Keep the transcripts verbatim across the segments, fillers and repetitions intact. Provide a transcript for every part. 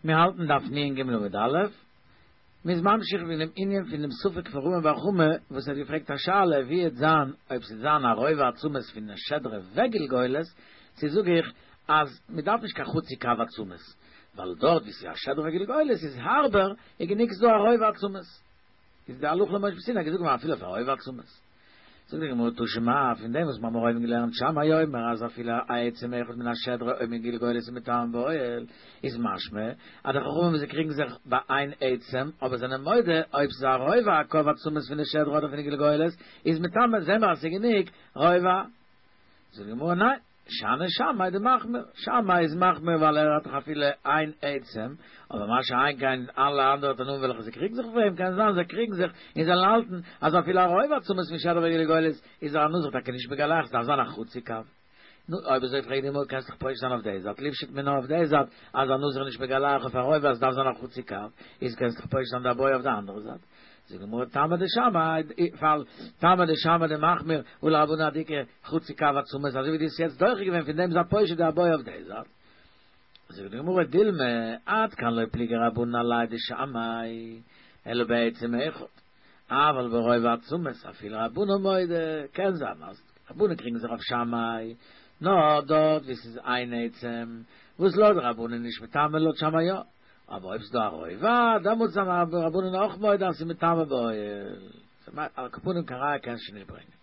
מיר האלטן דף נ ג עמוד א', מ'איז ממשיך אין דעם ענין פון דעם ספק פון רמי בר חמא וואס האט געפרעגט א שאלה ווי וועט זיין אויב ס'וועט זיין א רובע עצמות פון שדרה וגלגולת, צו זאג איך אז מ'דארף נישט קיין חצי קב עצמות, ווייל דארט ווי ס'איז א שדרה וגלגולת איז הארבער, איז גענוג ס'דא א רובע עצמות. איז די הלכה למשה מסיני געזאגט געווארן אפילו אויף א רובע עצמות. זאגט די גמרא תא שמע, פון דעם וואס מיר האבן אויבן געלערנט שמאי אומר אז אפילו א עצם אחד מן השדרה או מן גלגולת איז מטמא באוהל, איז משמע אז די חכמים וואס זיי קריגן זיך ביי איין עצם אבער זענען מודה אויב ס'איז א רובע הקב עצמות פון די שדרה אדער פון די גלגולת איז מטמא, זעהן מיר אז ס'איז גענוג רובע. זאגט די גמרא ניין, שאני שמאי דמחמיר, שמאי איז מחמיר ווייל ער האט דאך אפילו איין עצם, אבער מה שאין כן אלע אנדערע תנאים וועלכע זיי קריגן זיך אויף אים, קען זיין זיי קריגן זיך און זיי האלטן אז אפילו א רובע עצמות פון שדרה וגלגולת איז א נזיר טאקע נישט מגלח, ס'דארף זיין א חצי קב. נו, אויב אזוי פרעגט די גמרא קענסט דאך פושט זיין אויף די זייט, ליפשוט מינה אויף די זייט אז א נזיר איז נישט מגלח אויף א רובע אז ס'דארף זיין א חצי קב, איז קענסט דאך פושט זיין די בעיא אויף די אנדערע זייט. זאגט די גמרא טעמא דשמאי, ווייל טעמא דשמאי דמחמיר הא לרבנן עד דאיכא חצי קב עצמות אזוי ווי דו האסט יעצט דוחה געווען פון דעם זייט פושט די בעיא אויף די זייט. זאגט די גמרא דילמא עד כאן לא פליגי רבנן עליה דשמאי אלא בעצם אחד אבל ברובע עצמות אפילו רבנן מודו קען זיין אז רבנן קריגן זיך אויף שמאי נאר דארט ווי ס'איז איין עצם וואס לויט רבנן נישט מטמא לויט שמאי יא אבער אויב ס'דא א רובע, דעמאלטס זענען רבנן אויך מודה אז ס'איז מטמא באוהל. על כל פנים קיין ראיה קענסטו נישט ברענגען.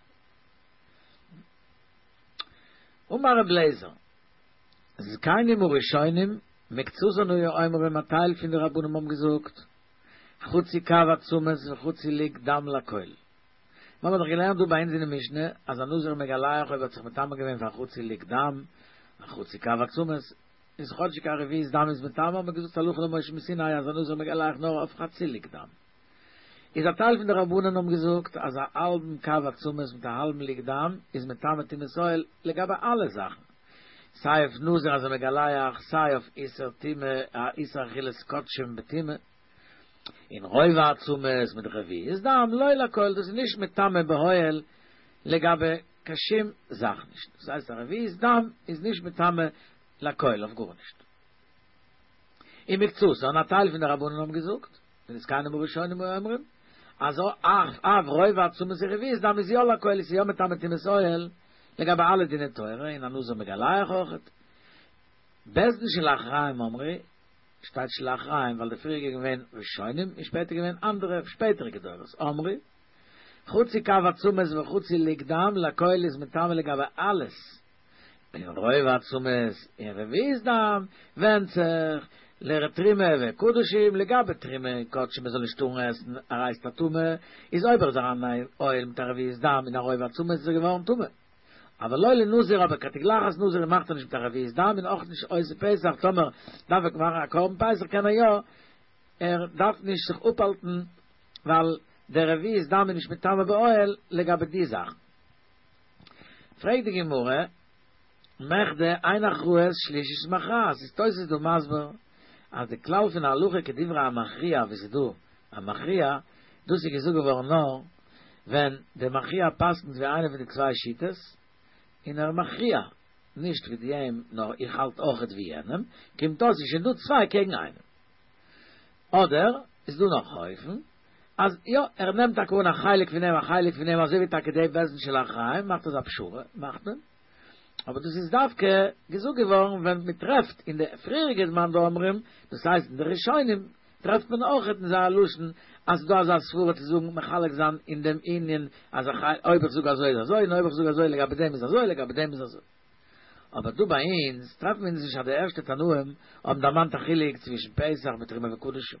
אמר רב לעזער, זקנים הראשונים מקצתן היו אומרים א טייל פון די רבנים האבן געזאגט, חצי קב עצמות וחצי לוג דם לכל. מיר האבן דאך געלערנט דא ביי אונז אין די משנה אז א נזיר מגלח אויב האט זיך מטמא געווען פאר חצי לוג דם, א חצי קב עצמות, איז כאטשיג א רביעית דם איז מטמא האט מען געזאגט הלכה למשה מסיני אז א נזיר מגלח נאר אויף חצי לוג דם. איז א טייל פון די רבנן האבן געזאגט אז א האלבן קב עצמות מיט א האלבן לוג דם איז מטמא טומאת אוהל לגבי אלע זאכן סיי אויף נזיר אז ער מגלח סיי אויף איסור טומאה איסור אכילת קדשים בטומאה און רובע עצמות מיט רביעית דם לא לכל דאס איז נישט מטמא באוהל לגבי קיין שום זאך נישט דאס הייסט א רביעית דם איז נישט מטמא לכל אויף גארנישט. ומקצתן, א טייל פון די רבנן האבן געזאגט, און זקנים הראשונים היו אומרים, אז אף רובע עצמות ורביעית דם איז יא לכל, עס איז יא מטמא טומאת אוהל, לגבי אלע דיני תורה, און א נזיר מגלח אויכעט. בית דין של אחריהם אמרו, שטייט של אחריהם ווייל די פריעריגע געווען ראשונים און שפעטער געווען אנדערע שפעטעריגע דורות, אמרו, חצי קב עצמות וחצי לוג דם לכל איז מטמא לגבי אלעס, און רובע עצמות און רביעית דם ווענדט זיך לתרומה וקדשים, לגבי תרומה און קדשים מען זאל נישט טארן עסן עריות הטמא, איז אויב ער איז אריין אין אוהל מיט א רביעית דם און א רובע עצמות איז ער געווארן טמא. אבל לא לנזיר אבער קיין תגלחת נזיר מאכט ער נישט מיט א רביעית דם און אויך נישט עושה פסח טאמער דארף ער מאכן א קרבן פסח קען ער יא ער דארף נישט זיך אפהאלטן ווייל דער רביעית דם איז נישט מטמא באוהל לגבי די זאכן. פרעגט די גמרא, מכדי אין הכרעה שלישית מכרעת, איז תוס' דא מסביר אז די כלל פון הלכה כדברי המכריע ווי ס'איז דא א מכריע, דאס איז געזאגט געווארן נאר ווען די מכריע פסק'נט ווי איינע פון די צוויי שיטות, און ער מכריע נישט ווי דעם נאר איך האלט אויכעט ווי יענעם, קומט אויס ס'איז שוין דא צוויי קעגן איינעם. אדער איז דא נאך א אופן אז יא ער נעמט טאקע אן א חלק פון דעם א חלק פון דעם אזוי ווי טאקע די בית דין של אחריהם מאכט אזא פשרה מאכט מען אבער דאס איז דווקא געזאגט געווארן ווען מען טרעפט אין די פריעריגע מאן דאמרים דאס הייסט אין די ראשונים טרעפט מען אויך אין זייער לשון אז ס'איז דא אזא סברה צו זאגן מחלק זיין אין דעם ענין אז אויב איך זאג אזוי איז אזוי און אויב איך זאג אזוי לגבי דעם איז אזוי לגבי דעם איז אזוי. אבער דא ביי אונז טרעפן מיר נישט אז די ערשטע תנאים האבן דערמאנט א חילוק צווישן פסח מיט תרומה וקדשים.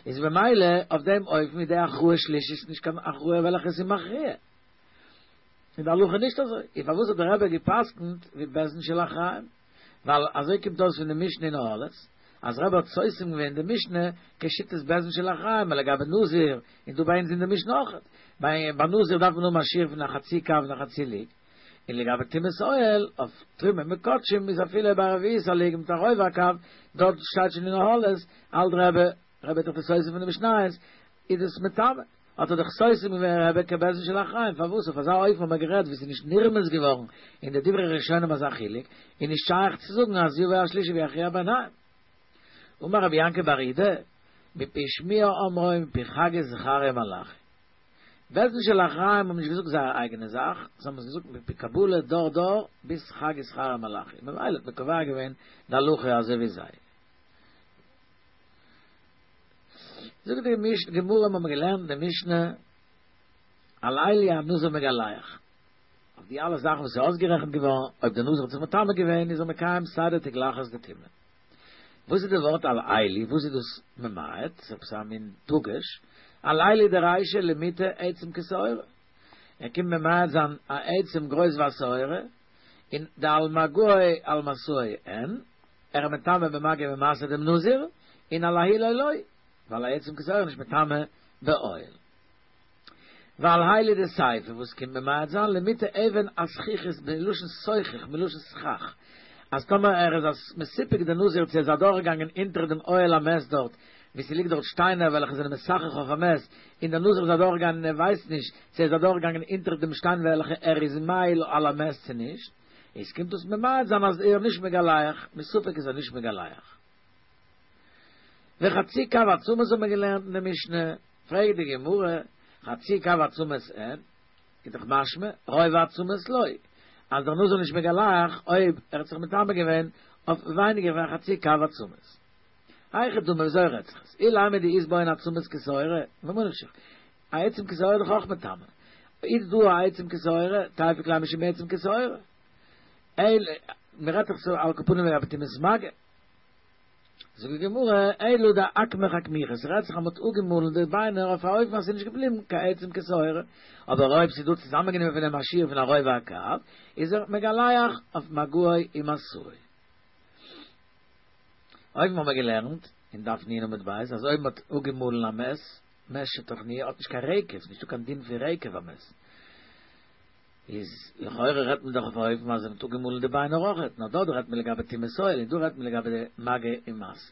איז במילא אויף דעם אופן איז די הכרעה שלישית נישט קיין הכרעה וועלכע איז מכריע. אין די הלכה נישט אזוי. און פארוואס האט דער רבי גע'פסק'נט ווי בית דין של אחריהם? ווייל אזוי קומט אויס פון די משנה אין אהלות, אז רבי האט סותם געווען די משנה כשיטת בית דין של אחריהם לגבי נזיר, און דא ביי אונז אין די משנה אויך. ביי נזיר דארף מען האבן א שיעור פון א חצי קב און א חצי לוג. און לגבי טומאת אוהל, אויף תרומה מיט קדשים איז אפילו ביי רביעית הלוג מיט א רובע הקב, דארט שטייט שוין אין אהלות, האלט רבי, רבי איז דאך די סותם פון די משניות, איז דאס מטמא, האט ער דאך סותם געווען רבי כבית דין של אחריהם, פארוואס אויף אזא אופן האט מען גערעדט ווי ס'איז נישט נרמז געווארן אין די דברי ראשונים אזא חילוק, איז נישט שייך צו זאגן אז יבא השלישי ויכריע ביניהם. אמר רבי יעקב בר אידי, מפי שמועה אמרו מפי חגי זכריה מלאכי. בית דין של אחריים האבן נישט געזאגט זייער אייגענע זאך, זיי האבן עס געזאגט מפי קבלה דור דור ביז חגי זכריה מלאכי. ממילא האט מען קובע געווען די הלכה אזוי ווי זיי. זאגט די משנה, גמרא האבן מיר געלערנט די משנה על אלו הנזיר מגלח. אויף די אלע זאכן וואס איז אויסגערעכנט געווארן, אויב דער נזיר האט זיך מטמא געווען, איז ער מקיים סיי די תגלחת די טומאה. וואס איז די ווארט על אלו? וואס איז דאס ממעט? ס'איז עפעס א מין דגוש. על אלו דרישא למעוטי עצם כשעורה. ער קומט ממעט זיין א עצם גרויס ווי א שעורה, און דעל מגעו על משאו אין, ער איז מטמא במגע ובמשא דעם נזיר, און על אהילו לא, ווייל א עצם כשעורה איז נישט מטמא באוהל. ועל אלו דסיפא וואס קומט ממעט זיין למעוטי אבן הזכוכית מלשון סוכך מלשון סכך אז טאמער ער איז א מסופק די נזיר צו ער איז אדורכגעגאנגען אונטער דעם אוהל המת דארט ווי ס'ליגט דארט שטיינער וועלכע זענען מסכך אויף א מת און דער נזיר איז אדורכגעגאנגען און ער ווייסט נישט צו ער איז אדורכגעגאנגען אונטער דעם שטיין וועלכע ער איז מאהיל על המת צו נישט איז קומט דאס ממעט זיין אז ער נישט מגלח מסופק איז ער נישט מגלח. וחצי קב עצמות האט מען געלערנט אין די משנה, פרעגט די גמרא, חצי קב עצמות אין, איז דאך משמע, רובע עצמות לא, אז דער נזיר נישט מגלח אויב ער האט זיך מטמא געווען אויף ווייניגער פון א חצי קב עצמות. היכי דמי וויאזוי רעדט זיך עס? אילימא דאית בהן עצמות כשעורה, ממה נפשך, א עצם כשעורה איז דאך אויך מטמא, איז דא א עצם כשעורה, תיפוק ליה משום עצם כשעורה. אלא, מען רעדט דאך ס'איז על כל פנים לגבי טומאת מגע. זאגט די גמרא, אלא דאקמיך אקמיכא, ס'רעדט זיך אז מ'האט אפגעמאלן די ביינער אויף א אופן אז ס'איז נישט געבליבן קיין עצם כשעורה, אבער אויב ס'איז דא צוזאמענגענומען פון דעם א שיעור פון א רובע הקב, איז ער מגלח אויף מגעו ומשאו. אויבן האבן מיר געלערנט אין דף נ' עמוד ב' אז אויב מ'האט אפגעמאלן א מת, מת שטחנוהו האט נישט קיין רקב, ס'נישטא קיין דין פון רקב א מת. איז לכאורה רעדט מען דאך אויף א אופן אז מען האט אפגעמאלן די ביינער אויכעט, נאר דארט רעדט מען לגבי טומאת אוהל און דא רעדט מען לגבי די מגע ומשא.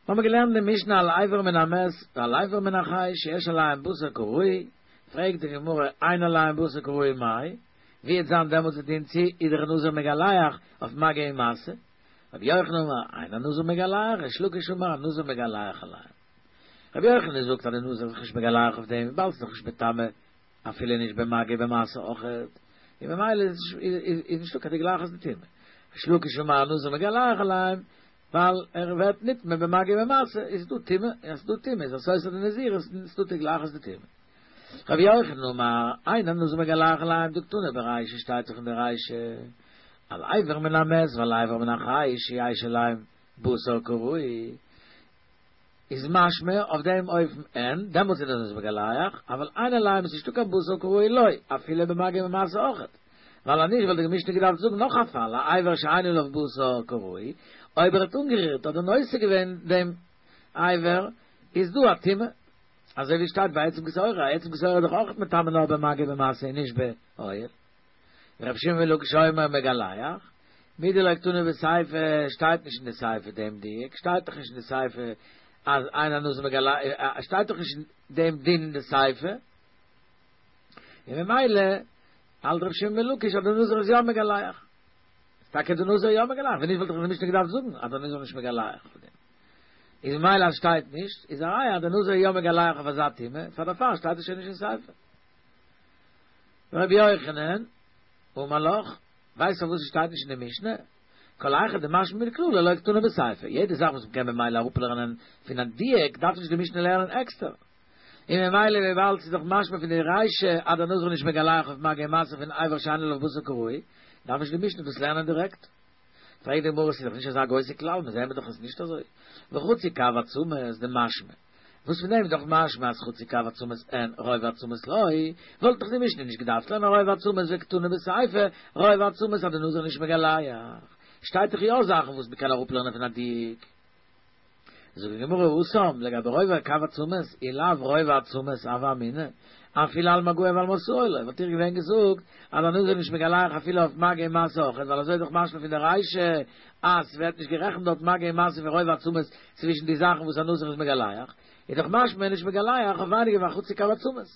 מיר האבן געלערנט די משנה על אבר מן המת ועל אבר מן החי שיש עליהם בשר כראוי, פרעגט די גמרא אין עליהם בשר כראוי מאי, ווי וועט זיין דעמאלטס די דין צו איז דער נזיר מגלח אויף מגע ומשא, רבי יוחנן אמר אין הנזיר מגלח, ריש לקיש אמר הנזיר מגלח עליהם. רבי יוחנן זאגט אז די נזיר איז זיך נישט מגלח אויף דעם וויבאלד ס'איז דאך נישט מטמא אפילו נישט במגע ובמשא אויכעט, און ממילא איז נישטא קיין תגלחת דטומאה. ריש לקיש אמר הנזיר מגלח עליהם, ווייל ער ווערט נטמא במגע ובמשא, איז דא טומאה, און אז ס'איז דא טומאה איז א סותר די נזירות און ס'איז דא תגלחת דטומאה. רבי יוחנן אמר, אין הנזיר מגלח עליהם דקתני ברישא שטייט דאך אין די רישא, על אבר מן המת ועל אבר מן החי שיש עליהם בשר כראוי, איז משמע אויף דעם אופן אין, דעמאלטס איז דער נזיר מגלח, אבל אין עליהם איז נישטא קיין בשר כראוי לא, אפילו במגע ובמשא אויכעט. ווייל אז נישט וואלט די משנה געדארפט זאגן נאך א פאל, א אבר שאין עליו בשר כראוי, אויב ער האט אנגערירט אדער נושא געווען דעם אבר, איז דא א טומאה. אזוי ווי שטייט ביי עצם כשעורה, א עצם כשעורה איז דאך אויכעט מטמא נאר במגע ובמשא און נישט באוהל. רבי שמעון בן לקיש אומר מגלח, מדלא קתני בסיפא שטייט נישט אין די סיפא דעם דיוק, שטייט דאך נישט אין די סיפא אז אין הנזיר מגלח, שטייט דאך נישט דעם דין אין די סיפא, און ממילא האלט רבי שמעון בן לקיש אז דער נזיר איז יא מגלח. איז טאקע דער נזיר יא מגלח, ווען נישט וואלט דאך די משנה געדארפט זאגן אז דער נזיר איז נישט מגלח אויף דעם. איז ממילא אז שטייט נישט, איז א ראיה אז דער נזיר איז יא מגלח אויף אזא טומאה, פאר דערפאר שטייט עס שוין נישט אין סיפא. רבי יוחנן, אמר לך, ווייסט פארוואס עס שטייט נישט אין די משנה? כל היכא דמשמע מכללא לא קתני בסיפא, יעדע זאך וואס מ'קען ממילא אראפלערנען פון א דיוק דארף נישט די משנה לערנען עקסטער. און ממילא וויבאלד ס'איז דאך משמע פון די רישא אז דער נזיר איז נישט מגלח אויף מגע ומשא פון אבר שאין עליו בשר כראוי, דארף נישט די משנה דאס לערנען דירעקט. פרעגט די גמרא ס'איז דאך נישט אזא גרויסע כלל, מיר זעען דאך עס איז נישט אזוי. וחצי קב עצמות דמשמע. וואס פון דעם איז דאך משמע אז חצי קב עצמות אין רובע עצמות לא, וואלט דאך די משנה נישט געדארפט לערנען רובע עצמות וקתני בסיפא, רובע עצמות אז די נזיר נישט מגלח. שטייט דאך יא זאכן וואס מ'קען אראפלערנען פון א דיוק. זאגט די גמרא התם לגבי רובע קב עצמות אי לאו רובע עצמות הוה אמינא אפילו על מגעו ועל משאו לא וואלט איך געווען געזאגט אז א נזיר נישט מגלח אפילו אויף מגע ומשא אויכעט ווייל אזוי איז דאך משמע פון די רישא אז ס'ווערט נישט גערעכנט דארט מגע ומשא פון רובע עצמות צווישן די זאכן וואס א נזיר איז מגלח איז דאך משמע נישט מגלח אויף ווייניגער ווי א חצי קב עצמות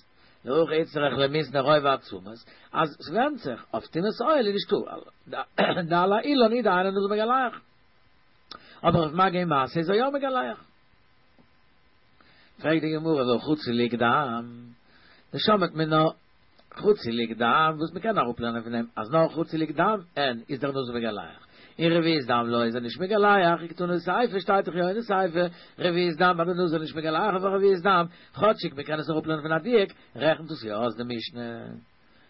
להכי איצטריך למיתנא רובע עצמות אז ס'ווענדט זיך אויף טומאת אוהל איז נישטא דעל האילן הוא דאין הנזיר מגלח. אבער אויף מגע ומשא איז ער יא מגלח. פרעגט די גמרא והא חוץ ללוג דם, דשמעת מינה חצי לוג דם, וואס מ'קען אראפלערנען פון דעם אז נאר חצי לוג דם אין איז דער נזיר מגלח, און רביעית דם לא איז ער נישט מגלח, אי קתני סיפא שטייט דאך יא אין די סיפא רביעית דם אז דער נזיר נישט מגלח אויף רביעית דם, כאטשיג מ'קען עס אראפלערנען פון א דיוק, רעכנט עס יא אויס די משנה.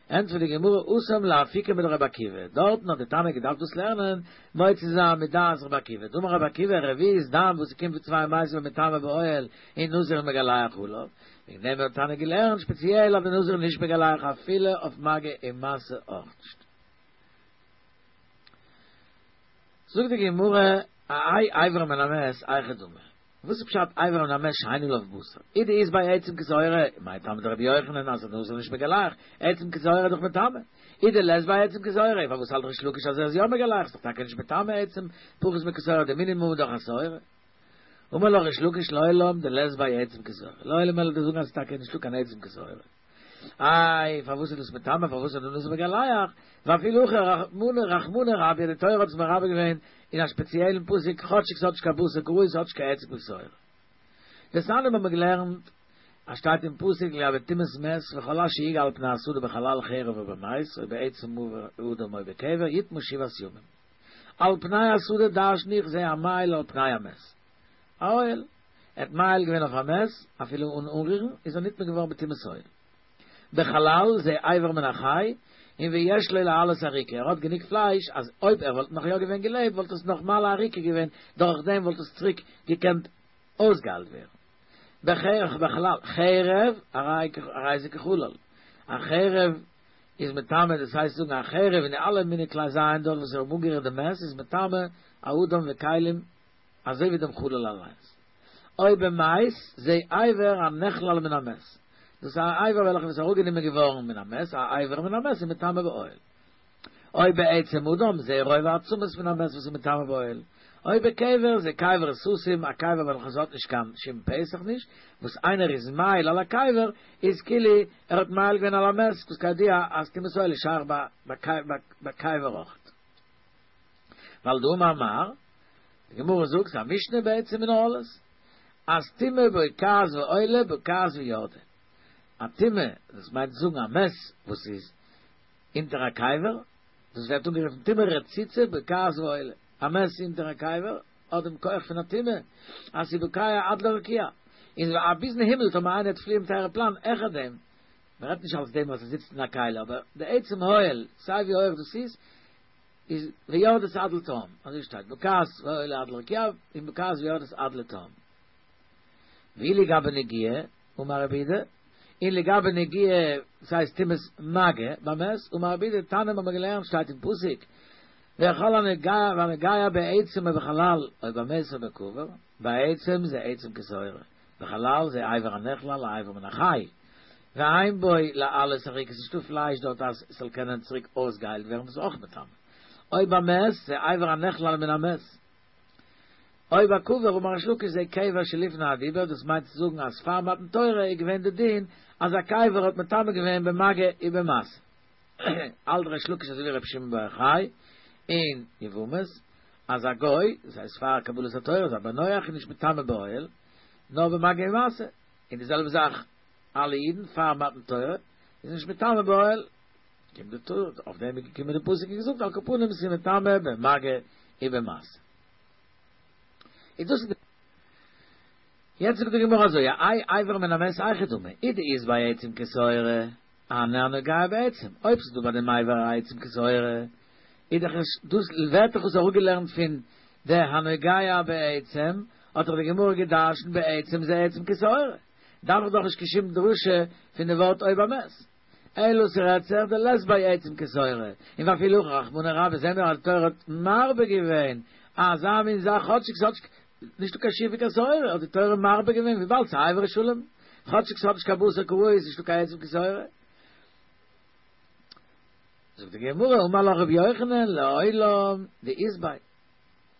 ענטפערט די גמרא התם לאפוקי מדרבי עקיבא, דארטן האט די תנא געדארפט דאס לערנען מוציא זיין מדעת רבי עקיבא, דאמר רבי עקיבא רביעית דם וואס ס'קומט פון צוויי מתים מטמא באוהל און נזיר מגלח עליו, וועגן דעם האט תנא געלערנט שפעציעל אז די נזיר נישט מגלח אפילו אויף מגע ומשא אויך נישט. זאגט די גמרא אהייא אבר מן המת היכי דמי, וואס איז פשט אבר מן המת שאין עליו בשר? אי דאית ביה עצם כשעורה, מאי טעמא דרבי יוחנן אז נזיר נישט מגלח, עצם כשעורה איז דאך מטמא. אי דלית ביה עצם כשעורה, פארוואס האלט ריש לקיש אז ער איז יא מגלח, ס'איז דאך טאקע נישט מטמא עצם פחות מכשעורה, די מינימום איז דאך א שעורה. אמר לך ריש לקיש לעולם דלית ביה עצם כשעורה, לעולם וועל איך דיר זאגן אז ס'איז טאקע נישטא קיין עצם כשעורה. איי, פארוואס איז דאס מטמא, פארוואס איז דער נזיר מגלח? ואפילו הכי רחמנא רחמנא רביה, די תורה האט עס מרבה געווען אין א שפעציעלן פסוק, כאטשיג ס'האט נישט קיין בשר כראוי, ס'האט נישט קיין עצם כשעורה. דתניא האבן מיר געלערנט אז שטייט אין פסוק לגבי טומאת מת וכל אשר יגע על פני השדה בחלל חרב או במת או בעצם אדם או בקבר יטמא שבעת ימים. על פני השדה דרשן איך זה המאהיל על פני המת. א אוהל. ער האט מאהיל געווען אויף א מת, אפילו אן אנרירן, איז ער נטמא געווארן בטומאת אוהל. בחלל זה אבר מן החי, און ויש לו להעלות אריקה, ער האט גענוג פלייש אז אויב ער וואלט נאך יא געווען געלעבט וואלט עס נאך מעלה אריקה געווען, דורך דעם וואלט עס צוריק געקענט אויסגעהיילט ווערן. בחרב בחלל, חרב, הרי זה כחלל. א חרב איז מטמא, דאס הייסט זאגן א חרב און די אלע מיני כלי זיין דארט וואס האבן אנגערירט די מת איז מטמא א אדם וכלים אזוי ווי דעם חלל אליינס. או במת זה אבר הנחלל מן המת, דאס איז א אבר וועלכע איז אראפגענומען געווארן מן המת, א אבר מן המת איז מטמא באוהל. או בעצם אדם זה רובע עצמות מן המת וואס איז מטמא באוהל. או בקבר זה קבר סתום, א קבר וועלכע עס האט נישט קיין שום פתח נישט, וואס איינער איז מאהיל על הקבר איז כאילו ער האט מאהיל געווען על המת, וואס כידוע אז טומאת אוהל איז שייך ביי קבר אויכעט. ווייל דאמר מר, די גמרא זאגט ס'איז א משנה בעצם אין אהלות, אז טומאה בוקעת ועולה בוקעת ויורדת. א טומאה, דאס מיינט צו זאגן א מת וואס איז אונטער א קבר, דאס ווערט אנגערופן טומאה רצוצה בוקעת ועולה. א מת אונטער א קבר האט דעם כח פון א טומאה אז ס'איז בוקע עד לרקיע, און ביזן הימל טאמער איינער וועט פליען מיט א עראפלאן העכער דעם, מ'רעדט נישט אלס דעם וואס ער זיצט אין א כלי, אבער די עצם אוהל, סיי ווי הויעך דאס איז, איז ויורדת עד לתהום, אזוי שטייט, בוקעת ועולה עד לרקיע, און בוקעת ויורדת עד לתהום. ואי לגבי נגיעה, אמר רבי יהודה, און לגבי נגיעה, דאס הייסט טומאת מגע במת, אמר רבי יהודה, תנא האבן מיר געלערנט שטייט אין פסוק, וכל הנוגע והנוגע בעצם או בחלל, או במת או בקבר, בעצם זה עצם כשעורה, בחלל זה אבר הנחלל האבר מן החי, ואין בו להעלות אריקה, ס'איז נישטא פלייש דארט אז עס זאל קענען צוריק אויסגעהיילט ווערן, דאס איז אויך מטמא. או במת זה אבר הנחלל מן המת. או בקבר אמר ריש לקיש זה קבר שלפני הדיבור, דאס מיינט צו זאגן אז פאר מתן תורה איז געווען די דין אז א קבר האט מטמא געווען במגע ובמשא. האלט ריש לקיש אזוי ווי רבי שמעון בר יוחאי אין יבמות אז א גוי, דאס הייסט פאר קבלת התורה, איז א בן נח איז נישט מטמא באוהל נאר במגע ומשא, און די זעלבע זאך אלע אידן פאר מתן תורה איז נישט מטמא באוהל, קומט די תורה, אויף דעם איז געקומען די פסוק און געזאגט על כל פנים ס'איז מטמא במגע ובמשא. איז דאס איז די. יעצט זאגט די גמרא אזוי, אהייא אבר מן המת היכי דמי, אי דאית ביה עצם כשעורה, הני הנוגע בעצם, אויב ס'איז דא ביי דעם אבר א עצם כשעורה, איז דאך עס, דאס ווערט דאך עס אראפגעלערנט פון די הנוגע בעצם, האט דאך די גמרא גע'דרש'נט בעצם זה עצם כשעורה, דארף איך דאך נישט קיין שום דרשה פון די ווארט או במת. אלא ס'רעדט זיך דלית ביה עצם כשעורה, און ואפילו הכי רחמנא רביה זעהן מיר אז די תורה האט מרבה געווען אזא מין זאך כאטשיג ס'האט נישטא קיין שיעור פון קיין שעורה האט די תורה מרבה געווען וויבאלד ס'איז אבר שלם כאטשיג ס'האט נישט קיין בשר כראוי איז נישטא קיין עצם כשעורה. זאגט די גמרא אמר לך רבי יוחנן לעולם דאית ביה.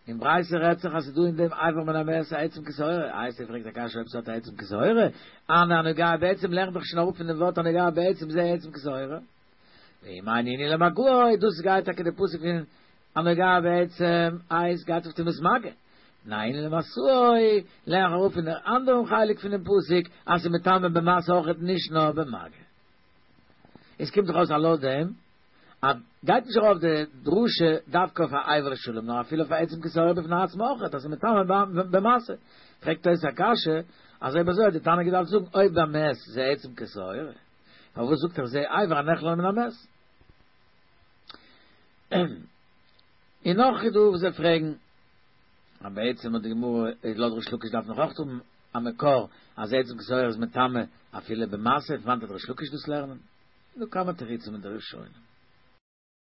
אין ברייתא רעדט זיך אז ס'איז דא אין דעם אבר מן המת א עצם כשעורה, איי ס'פרעגט א קשיא אויב ס'האט א עצם כשעורה, הני הנוגע בעצם לערנט דאך שוין אראפ פון דעם ווארט הנוגע בעצם זה עצם כשעורה. ואם אין נינהו למגעו, דאס גייט טאקע די פסוק פון הנוגע בעצם איז גייט אויף טומאת מגע. ניין למשאוי, לערן איך אראפ פון דער אנדערן חלק פון דעם פסוק, אז ס'איז מטמא במשא אויכעט נישט נאר במגע. עס קומט דאך אויס אז לויט דעם, אז גייט נישט ארויף די דרשה דווקא אויף א אבר שלם, נאר אפילו אויף א עצם כשעורה בפני עצמו אויכעט, אז ס'איז מטמא במשא. פרעגט תוס' א קשיא, אז אויב אזוי האט די תנא געדארפט זאגן אויב במת זה עצם כשעורה, פארוואס זאגט ער זה אבר הנחלל מן המת? און נאך איז דא וואס זיי פרעגן, אז בעצם האט די גמרא, לויט ריש לקיש דארף נאך אויך האבן א מקור אז עצם כשעורה איז מטמא אפילו במשא, פון וואנעט וועט ריש לקיש דאס לערנען? דא כמה תירוצים אין די ראשונים.